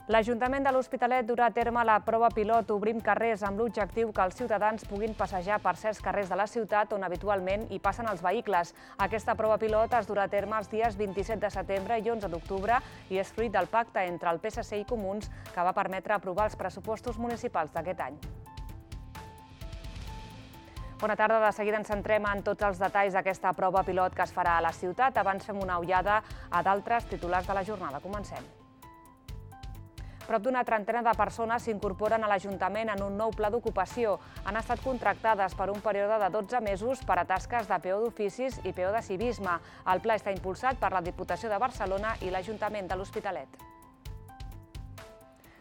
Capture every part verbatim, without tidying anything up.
L'Ajuntament de l'Hospitalet durà a terme la prova pilot Obrim carrers amb l'objectiu que els ciutadans puguin passejar per certs carrers de la ciutat on habitualment hi passen els vehicles. Aquesta prova pilot es durà a terme els dies vint-i-set de setembre i onze d'octubre i és fruit del pacte entre el P S C i Comuns que va permetre aprovar els pressupostos municipals d'aquest any. Bona tarda, de seguida ens centrem en tots els detalls d'aquesta prova pilot que es farà a la ciutat. Abans fem una ullada a d'altres titulars de la jornada. Comencem. Prop d'una trentena de persones s'incorporen a l'Ajuntament en un nou pla d'ocupació. Han estat contractades per un període de dotze mesos per a tasques de peó d'oficis i peó de civisme. El pla està impulsat per la Diputació de Barcelona i l'Ajuntament de l'Hospitalet.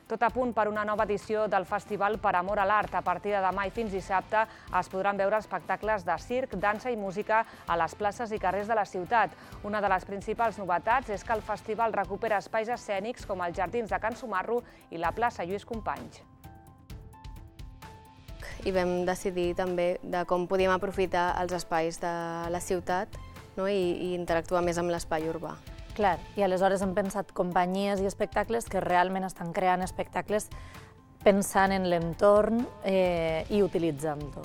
Tot a punt per una nova edició del Festival Per Amor a l'Art. A partir de demà i fins dissabte es podran veure espectacles de circ, dansa i música a les places i carrers de la ciutat. Una de les principals novetats és que el festival recupera espais escènics com els jardins de Can Sumarro i la plaça Lluís Companys. I vam decidir també de com podíem aprofitar els espais de la ciutat i interactuar més amb l'espai urbà. Clar, i aleshores hem pensat companyies i espectacles que realment estan creant espectacles pensant en l'entorn i utilitzant-lo.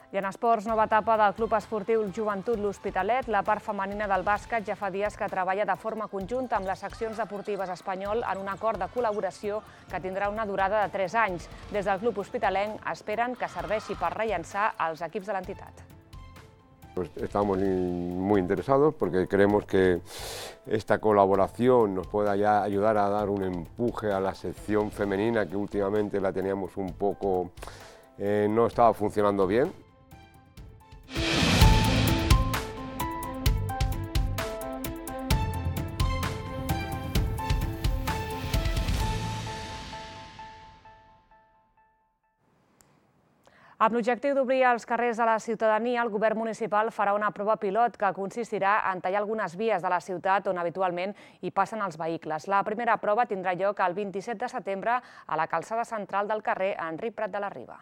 I en esports, nova etapa del Club Esportiu Joventut L'Hospitalet. La part femenina del bàsquet ja fa dies que treballa de forma conjunta amb les seccions deportives Espanyol en un acord de col·laboració que tindrà una durada de tres anys. Des del Club Hospitalenc esperen que serveixi per rellançar els equips de l'entitat. Estamos muy interesados porque creemos que esta colaboración nos pueda ya ayudar a dar un empuje a la sección femenina que últimamente la teníamos un poco, eh, no estaba funcionando bien. Amb l'objectiu d'obrir els carrers a la ciutadania, el govern municipal farà una prova pilot que consistirà en tallar algunes vies de la ciutat on habitualment hi passen els vehicles. La primera prova tindrà lloc el vint-i-set de setembre a la calçada central del carrer Enric Prat de la Riba.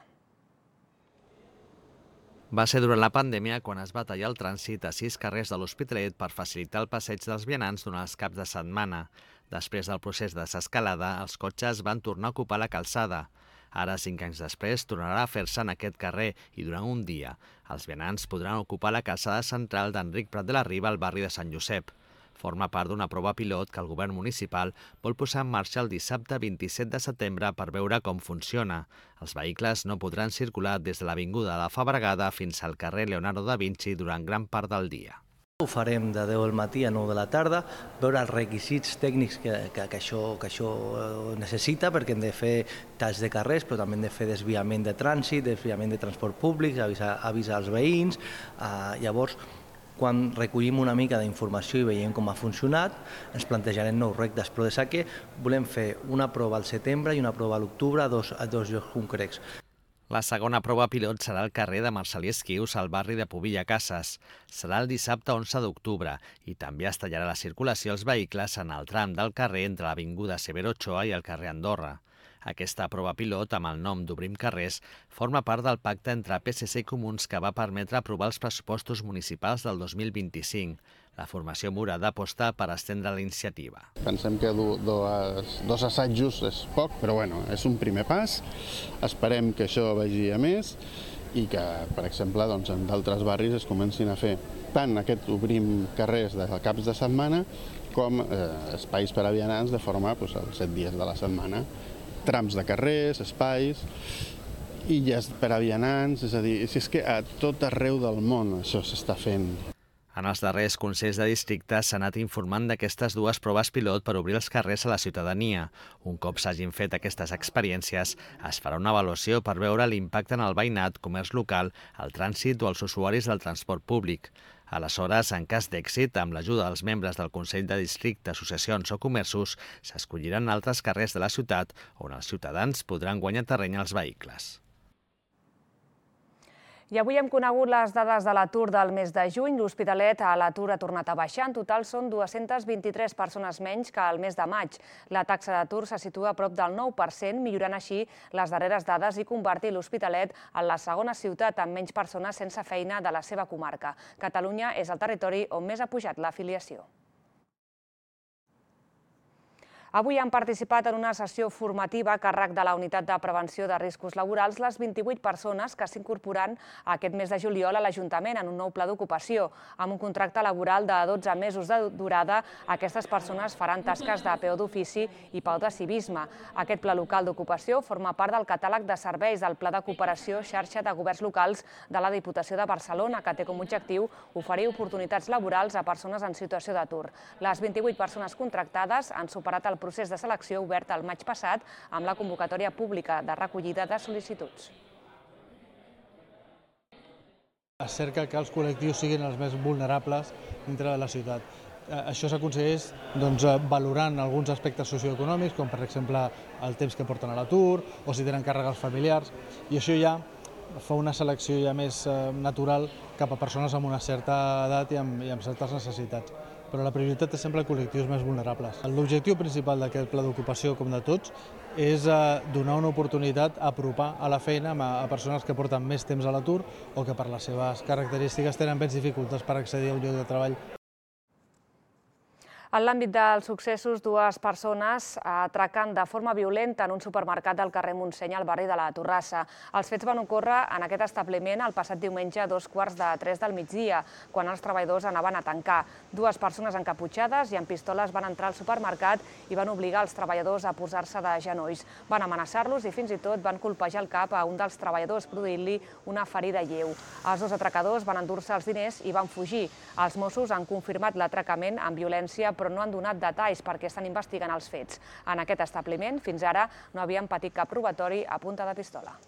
Va ser durant la pandèmia quan es va tallar el trànsit a sis carrers de l'Hospitalet per facilitar el passeig dels vianants durant els caps de setmana. Després del procés de desescalada, els cotxes van tornar a ocupar la calçada. Ara, cinc anys després, tornarà a fer-se en aquest carrer i durant un dia els vianants podran ocupar la calçada central d'Enric Prat de la Riba al barri de Sant Josep. Forma part d'una prova pilot que el govern municipal vol posar en marxa el dissabte vint-i-set de setembre per veure com funciona. Els vehicles no podran circular des de l'avinguda de la Fabregada fins al carrer Leonardo da Vinci durant gran part del dia. Ho farem de deu del matí a nou de la tarda, veure els requisits tècnics que, que, que, això, que això necessita, perquè hem de fer talls de carrers, però també hem de fer desviament de trànsit, desviament de transport públic, avisar, avisar els veïns. Uh, llavors, quan recollim una mica d'informació i veiem com ha funcionat, ens plantejarem nous reptes, però des que volem fer una prova al setembre i una prova a l'octubre a dos, a dos llocs concrets. La segona prova pilot serà al carrer de Marcel·lí Esquius, al barri de Pobilla Cases. Serà el dissabte onze d'octubre i també es tallarà la circulació als vehicles en el tram del carrer entre l'avinguda Severo Ochoa i el carrer Andorra. Aquesta prova pilot, amb el nom d'Obrim carrers, forma part del pacte entre P S C i Comuns que va permetre aprovar els pressupostos municipals del dos mil vint-i-cinc. La formació morada aposta per estendre la iniciativa. Pensem que dos, dos assajos és poc, però bueno, és un primer pas. Esperem que això vagi a més i que, per exemple, doncs, en d'altres barris es comencin a fer tant aquest Obrim carrers de caps de setmana com eh, espais per a vianants de forma doncs, els set dies de la setmana. Trams de carrers, espais, illes per a vianants, és a dir, és que a tot arreu del món això s'està fent. En els darrers consells de districte s'ha anat informant d'aquestes dues proves pilot per obrir els carrers a la ciutadania. Un cop s'hagin fet aquestes experiències, es farà una avaluació per veure l'impacte en el veïnat, comerç local, el trànsit o els usuaris del transport públic. Aleshores, en cas d'èxit, amb l'ajuda dels membres del Consell de Districte, associacions o comerços, s'escolliran altres carrers de la ciutat on els ciutadans podran guanyar terreny als vehicles. I avui hem conegut les dades de l'atur del mes de juny. L'Hospitalet a l'atur ha tornat a baixar. En total són dues-centes vint-i-tres persones menys que el mes de maig. La taxa d'atur se situa a prop del nou per cent, millorant així les darreres dades i convertir l'Hospitalet en la segona ciutat amb menys persones sense feina de la seva comarca. Catalunya és el territori on més ha pujat l'afiliació. Avui han participat en una sessió formativa a càrrec de la Unitat de Prevenció de Riscos Laborals les vint-i-vuit persones que s'incorporaran aquest mes de juliol a l'Ajuntament en un nou pla d'ocupació. Amb un contracte laboral de dotze mesos de durada, aquestes persones faran tasques de peó d'ofici i pau de civisme. Aquest pla local d'ocupació forma part del catàleg de serveis del Pla de Cooperació Xarxa de Governs Locals de la Diputació de Barcelona, que té com a objectiu oferir oportunitats laborals a persones en situació d'atur. Les vint-i-vuit persones contractades han superat el procés de selecció obert el maig passat amb la convocatòria pública de recollida de sol·licituds. Es cerca que els col·lectius siguin els més vulnerables dintre de la ciutat. Això s'aconsegueix valorant alguns aspectes socioeconòmics, com per exemple el temps que porten a l'atur o si tenen càrregues familiars, i això ja fa una selecció ja més natural cap a persones amb una certa edat i amb certes necessitats. Però la prioritat és sempre col·lectius més vulnerables. L'objectiu principal d'aquest pla d'ocupació, com de tots, és donar una oportunitat a apropar a la feina a persones que porten més temps a l'atur o que per les seves característiques tenen més dificultats per accedir a un lloc de treball. En l'àmbit dels successos, dues persones atraquen de forma violenta en un supermercat del carrer Montseny al barri de la Torrassa. Els fets van ocórrer en aquest establiment el passat diumenge a dos quarts de tres del migdia, quan els treballadors anaven a tancar. Dues persones encaputxades i amb pistoles van entrar al supermercat i van obligar els treballadors a posar-se de genolls. Van amenaçar-los i fins i tot van colpejar el cap a un dels treballadors, produint-li una ferida lleu. Els dos atracadors van endur-se els diners i van fugir. Els Mossos han confirmat l'atracament amb violència, però no han donat detalls perquè estan investigant els fets. En aquest establiment, fins ara, no havien patit cap robatori a punta de pistola.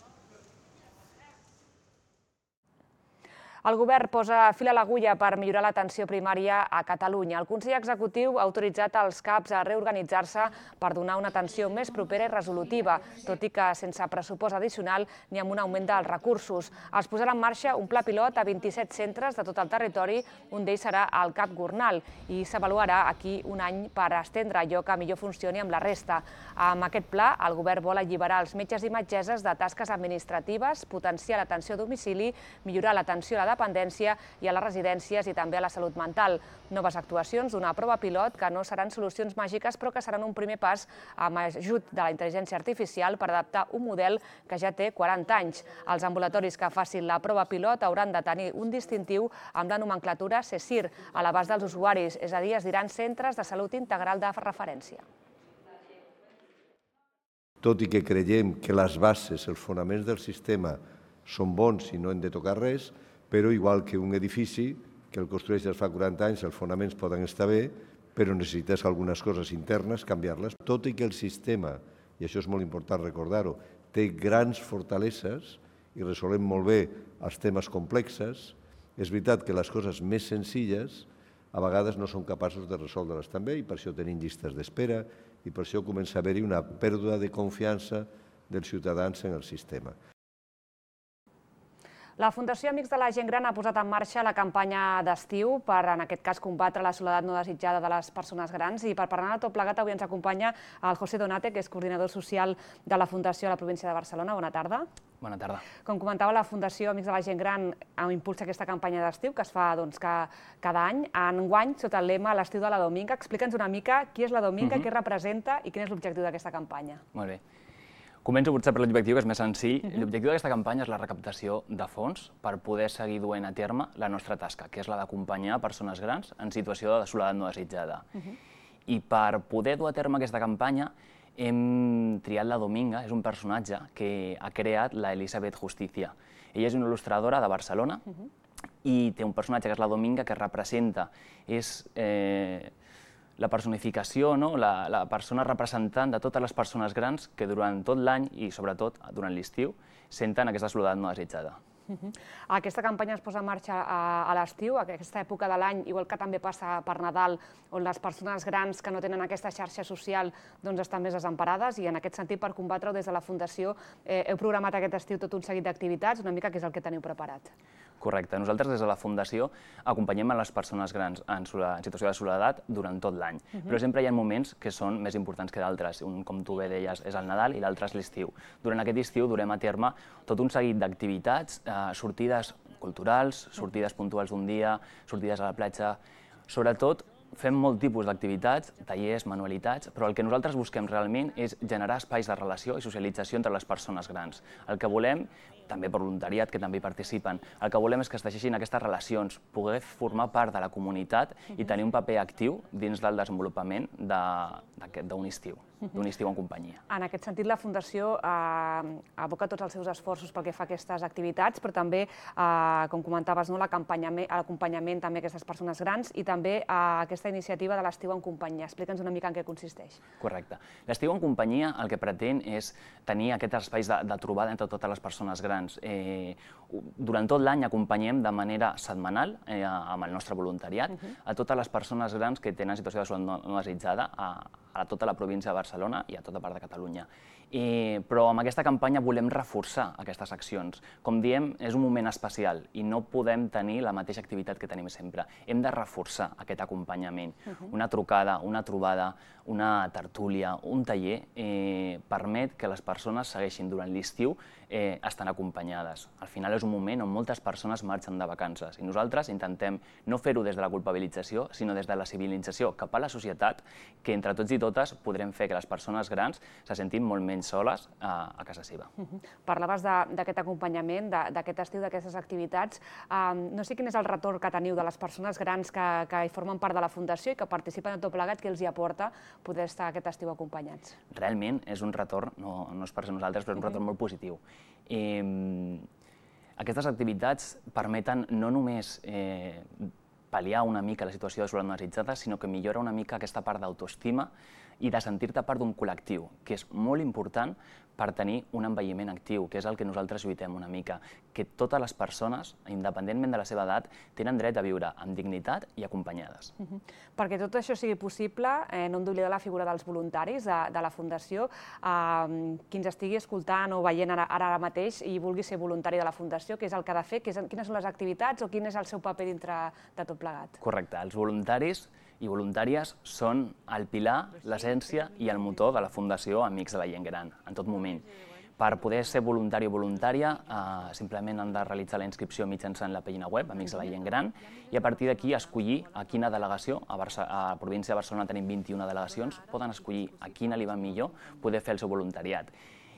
El govern posa fil a l'agulla per millorar l'atenció primària a Catalunya. El Consell Executiu ha autoritzat els CAPs a reorganitzar-se per donar una atenció més propera i resolutiva, tot i que sense pressupost addicional ni amb un augment dels recursos. Es posarà en marxa un pla pilot a vint-i-set centres de tot el territori, un d'ells serà el CAP Gornal, i s'avaluarà aquí un any per estendre allò que millor funcioni amb la resta. Amb aquest pla, el govern vol alliberar els metges i metgesses de tasques administratives, potenciar l'atenció a domicili, millorar l'atenció a la dependència i a les residències i també a la salut mental. Noves actuacions d'una prova pilot que no seran solucions màgiques però que seran un primer pas amb ajut de la intel·ligència artificial per adaptar un model que ja té quaranta anys. Els ambulatoris que facin la prova pilot hauran de tenir un distintiu amb la nomenclatura CESIR a l'abast dels usuaris, és a dir, es diran Centres de Salut Integral de Referència. Tot i que creiem que les bases, els fonaments del sistema són bons i no hem de tocar res, però igual que un edifici que el construeix fa quaranta anys, els fonaments poden estar bé, però necessites algunes coses internes, canviar-les. Tot i que el sistema, i això és molt important recordar-ho, té grans fortaleses i resolem molt bé els temes complexes, és veritat que les coses més senzilles a vegades no són capaços de resoldre-les també i per això tenim llistes d'espera i per això comença a haver-hi una pèrdua de confiança dels ciutadans en el sistema. La Fundació Amics de la Gent Gran ha posat en marxa la campanya d'estiu per, en aquest cas, combatre la soledat no desitjada de les persones grans. I per parlar de tot plegat avui ens acompanya el José Donate, que és coordinador social de la Fundació a la província de Barcelona. Bona tarda. Bona tarda. Com comentava, la Fundació Amics de la Gent Gran impulsa aquesta campanya d'estiu que es fa cada any. Enguany, sota el lema L'estiu de la Dominga. Explica'ns una mica qui és la Dominga, què representa i quin és l'objectiu d'aquesta campanya. Molt bé. Començo potser per l'objectiu, que és més senzill. L'objectiu d'aquesta campanya és la recaptació de fons per poder seguir duent a terme la nostra tasca, que és la d'acompanyar persones grans en situació de soledat no desitjada. I per poder dur a terme aquesta campanya hem triat la Dominga, és un personatge que ha creat la Elisabeth Justicia. Ella és una il·lustradora de Barcelona i té un personatge que és la Dominga que representa, és la personificació, la persona representant de totes les persones grans que durant tot l'any i sobretot durant l'estiu senten aquesta soledat no desitjada. Aquesta campanya es posa en marxa a l'estiu, a aquesta època de l'any, igual que també passa per Nadal, on les persones grans que no tenen aquesta xarxa social estan més desemparades, i en aquest sentit, per combatre-ho des de la Fundació, heu programat aquest estiu tot un seguit d'activitats, una mica què és el que teniu preparat. Correcte. Nosaltres des de la Fundació acompanyem a les persones grans en situació de soledat durant tot l'any, però sempre hi ha moments que són més importants que d'altres. Un, com tu bé deies, és el Nadal i l'altre és l'estiu. Durant aquest estiu durem a terme tot un seguit d'activitats, sortides culturals, sortides puntuals d'un dia, sortides a la platja, sobretot fem molt tipus d'activitats, tallers, manualitats, però el que nosaltres busquem realment és generar espais de relació i socialització entre les persones grans. El que volem, també per voluntariat, que també hi participen, el que volem és que es teixeixin aquestes relacions, poder formar part de la comunitat i tenir un paper actiu dins del desenvolupament d'un estiu, d'un estiu en companyia. En aquest sentit, la Fundació aboca tots els seus esforços pel que fa a aquestes activitats, però també, com comentaves, l'acompanyament també a aquestes persones grans i també aquesta iniciativa de l'estiu en companyia. Explica'ns una mica en què consisteix. Correcte. L'estiu en companyia el que pretén és tenir aquests espais de trobada entre totes les persones grans. Durant tot l'any acompanyem de manera setmanal, amb el nostre voluntariat, a totes les persones grans que tenen situació de soledat no desitjada a tota la província de Barcelona i a tota part de Catalunya. Però amb aquesta campanya volem reforçar aquestes accions. Com diem, és un moment especial i no podem tenir la mateixa activitat que tenim sempre. Hem de reforçar aquest acompanyament. Una trucada, una trobada, una tertúlia, un taller permet que les persones segueixin durant l'estiu estan acompanyades. Al final és un moment on moltes persones marxen de vacances i nosaltres intentem no fer-ho des de la culpabilització, sinó des de la civilització cap a la societat, que entre tots i totes podrem fer que les persones grans se sentin molt menys soles a casa seva. Parlaves d'aquest acompanyament, d'aquest estiu, d'aquestes activitats. No sé quin és el retorn que teniu de les persones grans que hi formen part de la Fundació i que participen en tot plegat, que els hi aporta poder estar aquest estiu acompanyats. Realment és un retorn, no és per nosaltres, però és un retorn molt positiu. Aquestes activitats permeten no només pal·liar una mica la situació de soledat no desitjada, sinó que millora una mica aquesta part d'autoestima i de sentir-te part d'un col·lectiu, que és molt important per tenir un envelliment actiu, que és el que nosaltres lluitem una mica, que totes les persones, independentment de la seva edat, tenen dret a viure amb dignitat i acompanyades. Perquè tot això sigui possible, no hem d'oblidar la figura dels voluntaris de la Fundació. Qui ens estigui escoltant o veient ara mateix i vulgui ser voluntari de la Fundació, què és el que ha de fer? Quines són les activitats o quin és el seu paper dintre de tot plegat? Correcte. Els voluntaris i voluntàries són el pilar, l'essència i el motor de la Fundació Amics de la Gent Gran, en tot moment. Per poder ser voluntari o voluntària, simplement han de realitzar la inscripció mitjançant la pàgina web, Amics de la Gent Gran, i a partir d'aquí escollir a quina delegació, a la província de Barcelona tenim vint-i-una delegacions, poden escollir a quina li va millor poder fer el seu voluntariat.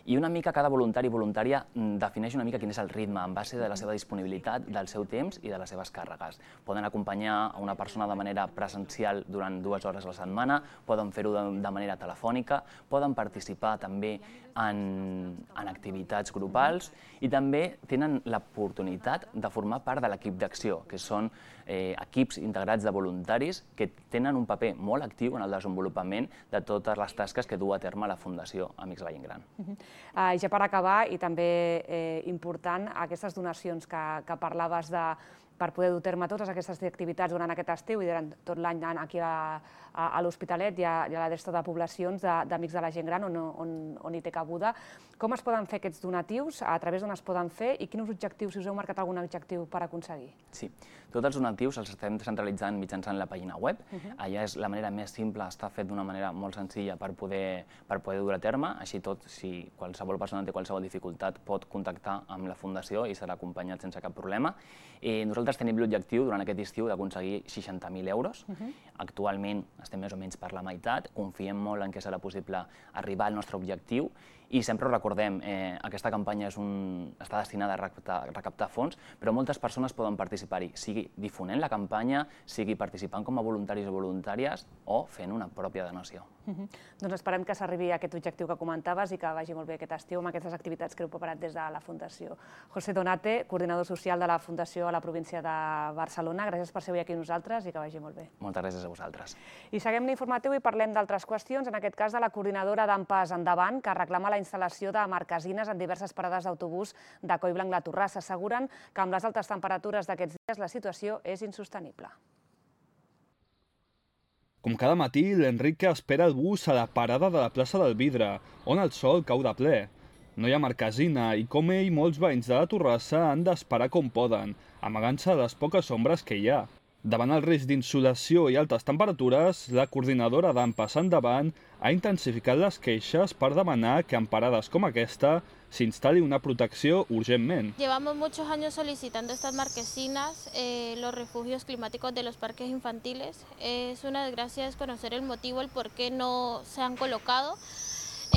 I una mica cada voluntari i voluntària defineix una mica quin és el ritme en base de la seva disponibilitat, del seu temps i de les seves càrregues. Poden acompanyar a una persona de manera presencial durant dues hores a la setmana, poden fer-ho de manera telefònica, poden participar també en activitats grupals i també tenen l'oportunitat de formar part de l'equip d'acció, que són equips integrats de voluntaris que tenen un paper molt actiu en el desenvolupament de totes les tasques que du a terme la Fundació Amics de la Gent Gran. I ja per acabar, i també important, aquestes donacions que parlaves de per poder dur a terme totes aquestes activitats durant aquest estiu i durant tot l'any aquí a l'Hospitalet i a la resta de poblacions d'Amics de la Gent Gran on hi té cabuda. Com es poden fer aquests donatius, a través d'on es poden fer i quins objectius, si us heu marcat algun objectiu per aconseguir? Sí, tots els donatius els estem centralitzant mitjançant la pàgina web. Allà és la manera més simple, està fet d'una manera molt senzilla per poder dur a terme. Així tot, si qualsevol persona té qualsevol dificultat pot contactar amb la Fundació i serà acompanyat sense cap problema. Nosaltres tenim l'objectiu durant aquest estiu d'aconseguir seixanta mil euros. Actualment estem més o menys per la meitat, confiem molt en que serà possible arribar al nostre objectiu i sempre ho recordem, aquesta campanya està destinada a recaptar fons, però moltes persones poden participar-hi, sigui difonent la campanya, sigui participant com a voluntaris o voluntàries o fent una pròpia donació. Doncs esperem que s'arribi a aquest objectiu que comentaves i que vagi molt bé aquest estiu amb aquestes activitats que heu preparat des de la Fundació. José Donate, coordinador social de la Fundació a la província de Barcelona, gràcies per ser avui aquí amb nosaltres i que vagi molt bé. Moltes gràcies a vosaltres. I seguim l'informatiu i parlem d'altres qüestions, en aquest cas de la coordinadora d'Ampas Endavant, que reclama la instal·lació de marquesines en diverses parades d'autobús de Collblanc-La Torrassa. Asseguren que amb les altes temperatures d'aquests dies la situació és insostenible. Com cada matí, l'Enrique espera el bus a la parada de la plaça del Vidre, on el sol cau de ple. No hi ha marquesina i, com ell, molts veïns de la Torrassa han d'esperar com poden, amagant-se de les poques ombres que hi ha. Davant el risc d'insolació i altes temperatures, la coordinadora d'A M Pas Endavant ha intensificat les queixes per demanar que en parades com aquesta s'instal·li una protecció urgentment. Llevamos muchos años solicitando estas marquesinas, eh, los refugios climáticos de los parques infantiles. Es una desgracia desconocer el motivo, el por qué no se han colocado.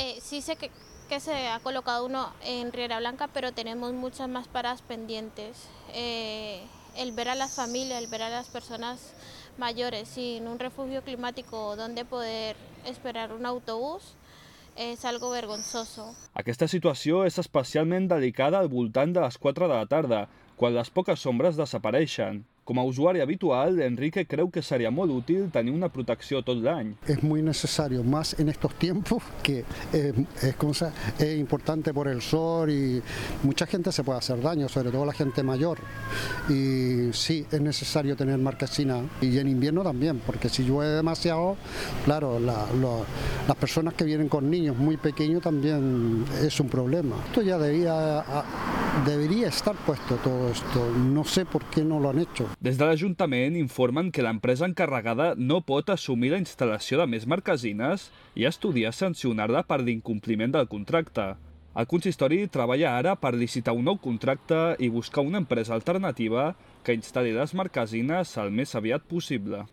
Eh, sí sé que, que se ha colocado uno en Riera Blanca, pero tenemos muchas más paradas pendientes. Eh, el ver a las familias, el ver a las personas mayores sin un refugio climático donde poder esperar un autobús és algo vergonzoso. Aquesta situació és especialment delicada al voltant de les quatre de la tarda, quan les poques ombres desapareixen. Com a usuari habitual, Enrique creu que seria molt útil tenir una protecció tot l'any. Es muy necesario, más en estos tiempos, que eh, es, como sea, es importante por el sol y mucha gente se puede hacer daño, sobre todo la gente mayor. Y sí, es necesario tener marquesina, y en invierno también, porque si llueve demasiado, claro, la, lo, las personas que vienen con niños muy pequeños también es un problema. Esto ya debía, debería estar puesto todo esto, no sé por qué no lo han hecho. Des de l'Ajuntament informen que l'empresa encarregada no pot assumir la instal·lació de més marquesines i estudiar sancionar-la per l'incompliment del contracte. El consistori treballa ara per licitar un nou contracte i buscar una empresa alternativa que instal·li les marquesines el més aviat possible.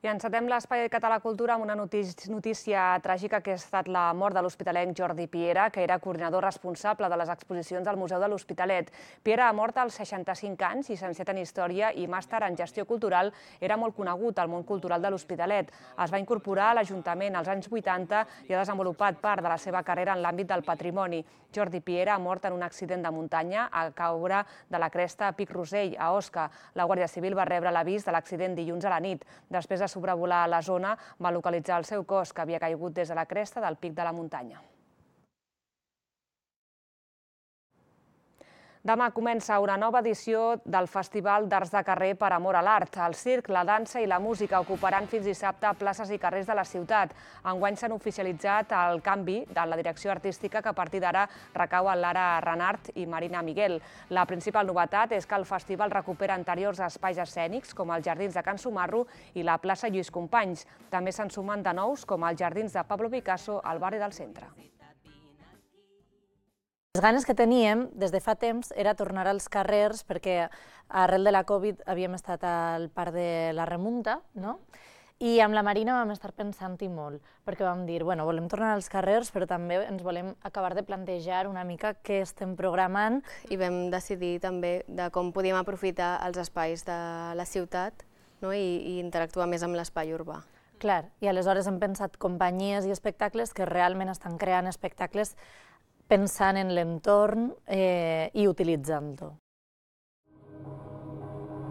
I encetem l'espai català cultura amb una notícia tràgica que ha estat la mort de l'hospitalenc Jordi Piera, que era coordinador responsable de les exposicions al Museu de l'Hospitalet. Piera ha mort als seixanta-cinc anys, llicenciat en Història i màster en Gestió Cultural, era molt conegut al món cultural de l'Hospitalet. Es va incorporar a l'Ajuntament als anys vuitanta i ha desenvolupat part de la seva carrera en l'àmbit del patrimoni. Jordi Piera ha mort en un accident de muntanya a caure de la cresta a Pic Rosell, a Osca. La Guàrdia Civil va rebre l'avís de l'accident dilluns a la nit. Després de sobrevolar la zona, va localitzar el seu cos, que havia caigut des de la cresta del pic de la muntanya. Demà comença una nova edició del Festival d'Arts de Carrer per Amor a l'Art. El circ, la dansa i la música ocuparan fins dissabte places i carrers de la ciutat. Enguany s'han oficialitzat el canvi de la direcció artística, que a partir d'ara recau en Lara Renart i Marina Miguel. La principal novetat és que el festival recupera anteriors espais escènics, com els Jardins de Can Sumarro i la plaça Lluís Companys. També se'n sumen de nous, com els Jardins de Pablo Picasso al barri del centre. Les ganes que teníem des de fa temps era tornar als carrers, perquè arrel de la Covid havíem estat al Parc de la Remunta, no? I amb la Marina vam estar pensant-hi molt, perquè vam dir, bueno, volem tornar als carrers, però també ens volem acabar de plantejar una mica què estem programant. I vam decidir també de com podíem aprofitar els espais de la ciutat, no? I, i interactuar més amb l'espai urbà. Clar, i aleshores hem pensat companyies i espectacles que realment estan creant espectacles pensant en l'entorn eh, i utilitzant-ho.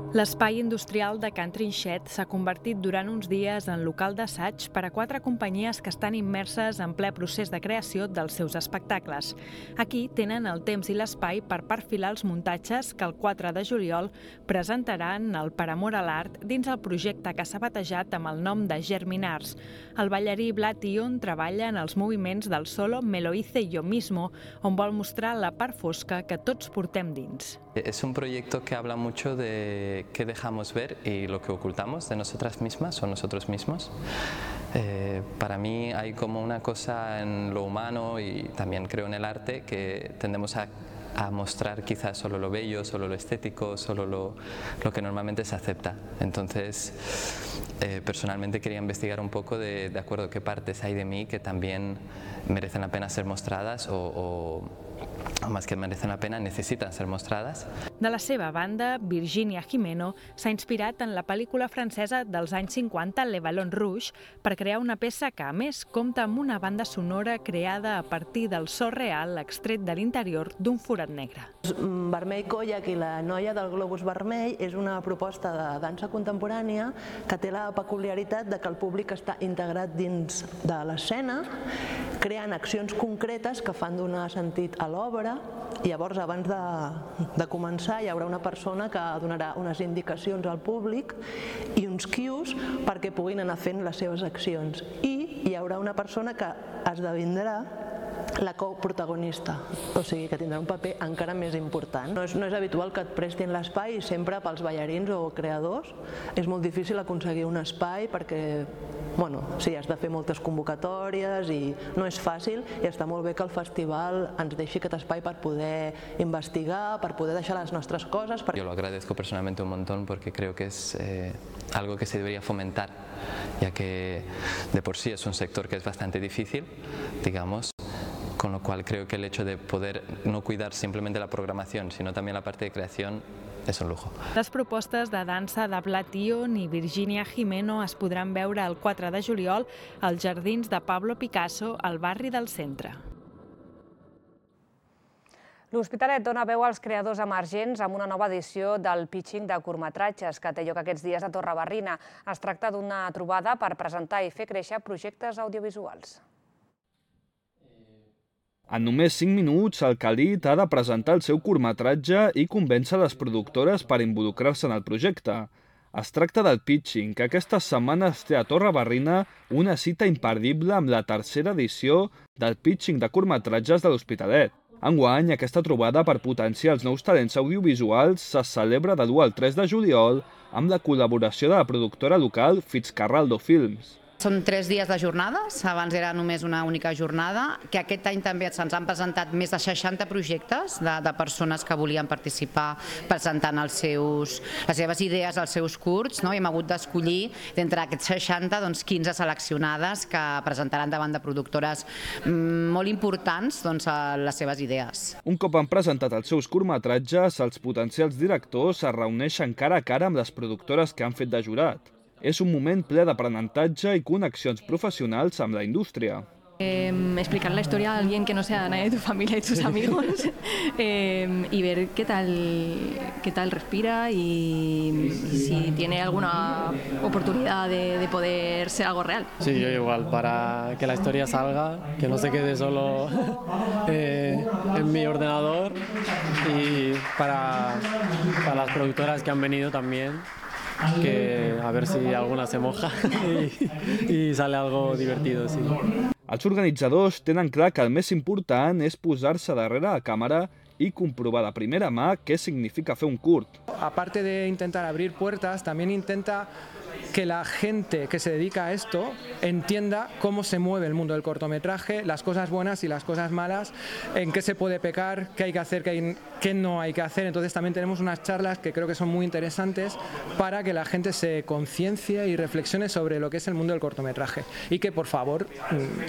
L'espai industrial de Can Trinxet s'ha convertit durant uns dies en local d'assaig per a quatre companyies que estan immerses en ple procés de creació dels seus espectacles. Aquí tenen el temps i l'espai per perfilar els muntatges que el quatre de juliol presentaran el Per Amor a l'Art dins el projecte que s'ha batejat amb el nom de Germinars. El ballarí Vlad Ion treballa en els moviments del solo Me lo hice yo mismo, on vol mostrar la part fosca que tots portem dins. Es un proyecto que habla mucho de qué dejamos ver y lo que ocultamos de nosotras mismas o nosotros mismos. Eh, para mí hay como una cosa en lo humano y también creo en el arte que tendemos a, a mostrar quizás solo lo bello, solo lo estético, solo lo, lo que normalmente se acepta. Entonces, eh, personalmente quería investigar un poco de, de acuerdo qué partes hay de mí que también merecen la pena ser mostradas o, o o més que merecen la pena, necessiten ser mostrades. De la seva banda, Virginia Jimeno s'ha inspirat en la pel·lícula francesa dels anys cinquanta, Le Ballon Rouge, per crear una peça que, a més, compta amb una banda sonora creada a partir del so real extret de l'interior d'un forat negre. Vermell Koyak i la noia del globus vermell és una proposta de dansa contemporània que té la peculiaritat de que el públic està integrat dins de l'escena, creant accions concretes que fan donar sentit a l'obra, i llavors abans de, de començar hi haurà una persona que donarà unes indicacions al públic i uns cues perquè puguin anar fent les seves accions, i hi haurà una persona que esdevindrà la coprotagonista, o sigui que tindrà un paper encara més important. No és, no és habitual que et prestin l'espai i sempre pels ballarins o creadors és molt difícil aconseguir un espai perquè, bueno, sí, has de fer moltes convocatòries i no és fàcil i està molt bé que el festival ens deixi aquest espai per poder investigar, per poder deixar les nostres coses. Yo lo agradezco personalmente un montón porque creo que es eh, algo que se debería fomentar, ya que de por sí es un sector que es bastante difícil, digamos, con lo cual creo que el hecho de poder no cuidar simplemente la programación, sino también la parte de creación, és un lujo. Les propostes de dansa de Blation i Virginia Jimeno es podran veure el quatre de juliol als jardins de Pablo Picasso, al barri del centre. L'Hospitalet dona veu als creadors emergents amb una nova edició del pitching de curtmetratges que té lloc aquests dies a Torrebarrina. Es tracta d'una trobada per presentar i fer créixer projectes audiovisuals. En només cinc minuts, el Khalid ha de presentar el seu curtmetratge i convèncer les productores per involucrar-se en el projecte. Es tracta del pitching, que aquestes setmanes té a Torrebarrina una cita imperdible amb la tercera edició del pitching de curtmetratges de l'Hospitalet. Enguany, aquesta trobada per potenciar els nous talents audiovisuals se celebra de l'u al tres de juliol amb la col·laboració de la productora local Fitzcarraldo Films. Són tres dies de jornades, abans era només una única jornada, que aquest any també se'ns han presentat més de seixanta projectes de, de persones que volien participar presentant els seus, les seves idees, els seus curts, no? I hem hagut d'escollir d'entre aquests seixanta doncs, quinze seleccionades que presentaran davant de productores mmm, molt importants doncs, les seves idees. Un cop han presentat els seus curtmetratges, els potencials directors es reuneixen cara a cara amb les productores que han fet de jurat. És un moment ple d'aprenentatge i connexions professionals amb la indústria. Eh, explicar la historia a alguien que no sea nadie de tu familia y tus amigos eh, y ver qué tal, qué tal respira y, y si tiene alguna oportunidad de, de poder ser algo real. Sí, yo igual, para que la historia salga, que no se quede solo eh, en mi ordenador y para, para las productoras que han venido también. Que a ver si alguna se moja y, y sale algo divertido, sí. Els organitzadors tenen clar que el més important és posar-se darrere la càmera y comprobar de primera mà qué significa fer un curt. Aparte de intentar abrir puertas, también intenta que la gente que se dedica a esto entienda cómo se mueve el mundo del cortometraje, las cosas buenas y las cosas malas, en qué se puede pecar, qué hay que hacer, qué, hay, qué no hay que hacer. Entonces también tenemos unas charlas que creo que son muy interesantes para que la gente se conciencie y reflexione sobre lo que es el mundo del cortometraje y que por favor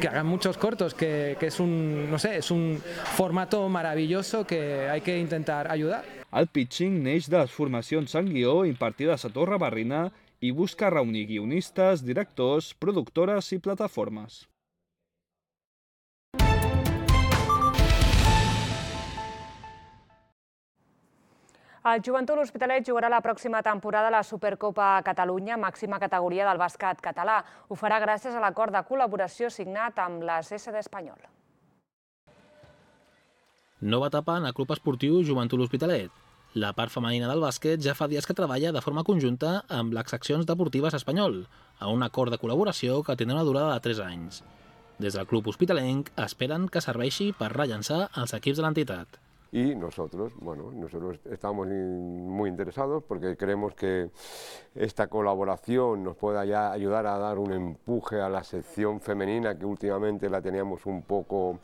que hagan muchos cortos, que, que es un, no sé, es un formato maravilloso que hay que intentar ayudar. El pitching neix de les formacions en guió impartides a Torrebarrina i busca reunir guionistes, directors, productores i plataformes. El Joventut L'Hospitalet jugarà la pròxima temporada a la Supercopa Catalunya, màxima categoria del bàsquet català. Ho farà gràcies a l'acord de col·laboració signat amb l'S S D Espanyol. Nova etapa en el Club Esportiu Joventut L'Hospitalet. La part femenina del bàsquet ja fa dies que treballa de forma conjunta amb les seccions deportives Espanyol, a un acord de col·laboració que tindrà una durada de tres anys. Des del club hospitalenc esperen que serveixi per rellançar els equips de l'entitat. Y nosotros, bueno, nosotros estamos muy interesados porque creemos que esta colaboración nos pueda ya ayudar a dar un empuje a la sección femenina que últimamente la teníamos un poco,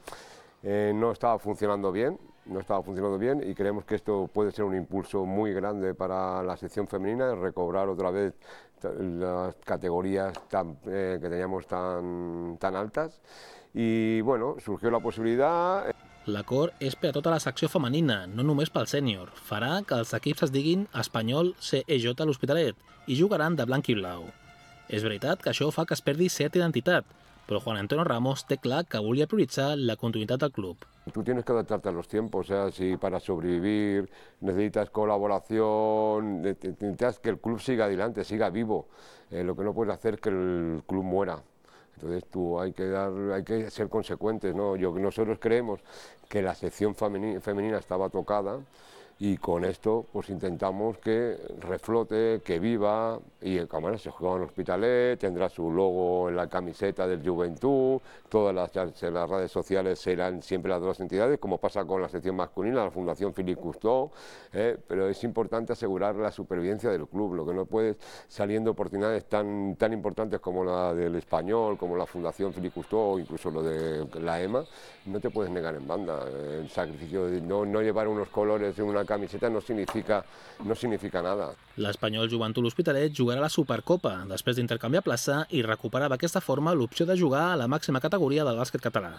eh, no estaba funcionando bien. no estaba funcionando bien y creemos que esto puede ser un impulso muy grande para la sección femenina, recobrar otra vez las categorías tan, eh, que teníamos tan, tan altas y bueno, surgió la possibilitat. L'acord és per a tota la secció femenina, no només pel sènior. Farà que els equips es diguin Espanyol C E J L'Hospitalet i jugaran de blanc i blau. És veritat que això fa que es perdi certa identitat, pero Juan Antonio Ramos té clar que volia prioritzar la continuïtat del club. Tú tienes que adaptarte a los tiempos, o sea, si para sobrevivir necesitas colaboración, necesitas que el club siga adelante, siga vivo. Eh, lo que no puedes hacer es que el club muera. Entonces tú hay que, dar, hay que ser consecuentes, ¿no? Yo, nosotros creemos que la sección femenina, femenina estaba tocada, y con esto pues intentamos que reflote, que viva, y el cámara se juega en Hospitalet, tendrá su logo en la camiseta del Juventud, todas las, las redes sociales serán siempre las dos entidades, como pasa con la sección masculina, la Fundación Philippe Cousteau, eh, pero es importante asegurar la supervivencia del club, lo que no puede, saliendo oportunidades tan, tan importantes como la del Español, como la Fundación Philippe Cousteau, o incluso lo de la EMA, no te puedes negar en banda. El sacrificio de no, no llevar unos colores en una camiseta no significa, no significa nada. L'Espanyol Joventut L'Hospitalet jugarà a la Supercopa, després d'intercanviar plaça i recuperar d'aquesta forma l'opció de jugar a la màxima categoria del bàsquet català.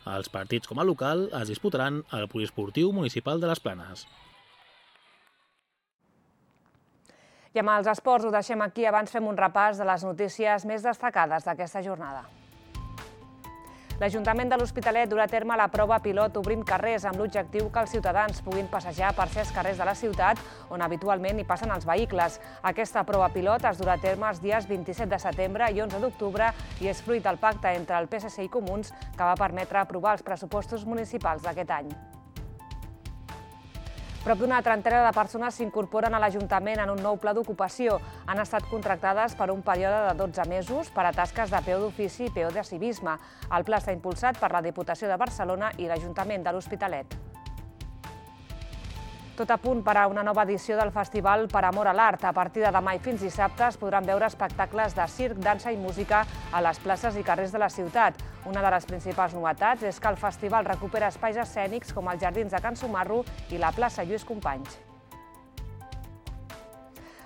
Els partits com a local es disputaran al Poliesportiu Municipal de les Planes. I amb els esports ho deixem aquí, abans fem un repàs de les notícies més destacades d'aquesta jornada. L'Ajuntament de l'Hospitalet durà a terme la prova pilot Obrint carrers amb l'objectiu que els ciutadans puguin passejar per certs carrers de la ciutat on habitualment hi passen els vehicles. Aquesta prova pilot es durà a terme els dies vint-i-set de setembre i onze d'octubre i és fruit del pacte entre el P S C i Comuns que va permetre aprovar els pressupostos municipals d'aquest any. Prop d'una trentena de persones s'incorporen a l'Ajuntament en un nou pla d'ocupació. Han estat contractades per un període de dotze mesos per a tasques de peó d'ofici i peó de civisme. El pla està impulsat per la Diputació de Barcelona i l'Ajuntament de l'Hospitalet. Tot a punt per a una nova edició del Festival Per Amor a l'Art. A partir de demà i fins dissabte es podran veure espectacles de circ, dansa i música a les places i carrers de la ciutat. Una de les principals novetats és que el festival recupera espais escènics com els jardins de Can Sumarro i la plaça Lluís Companys.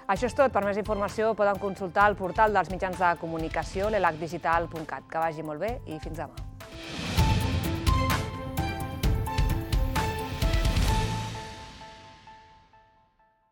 Això és tot. Per més informació poden consultar el portal dels mitjans de comunicació l'elac digital punt cat. Que vagi molt bé i fins demà.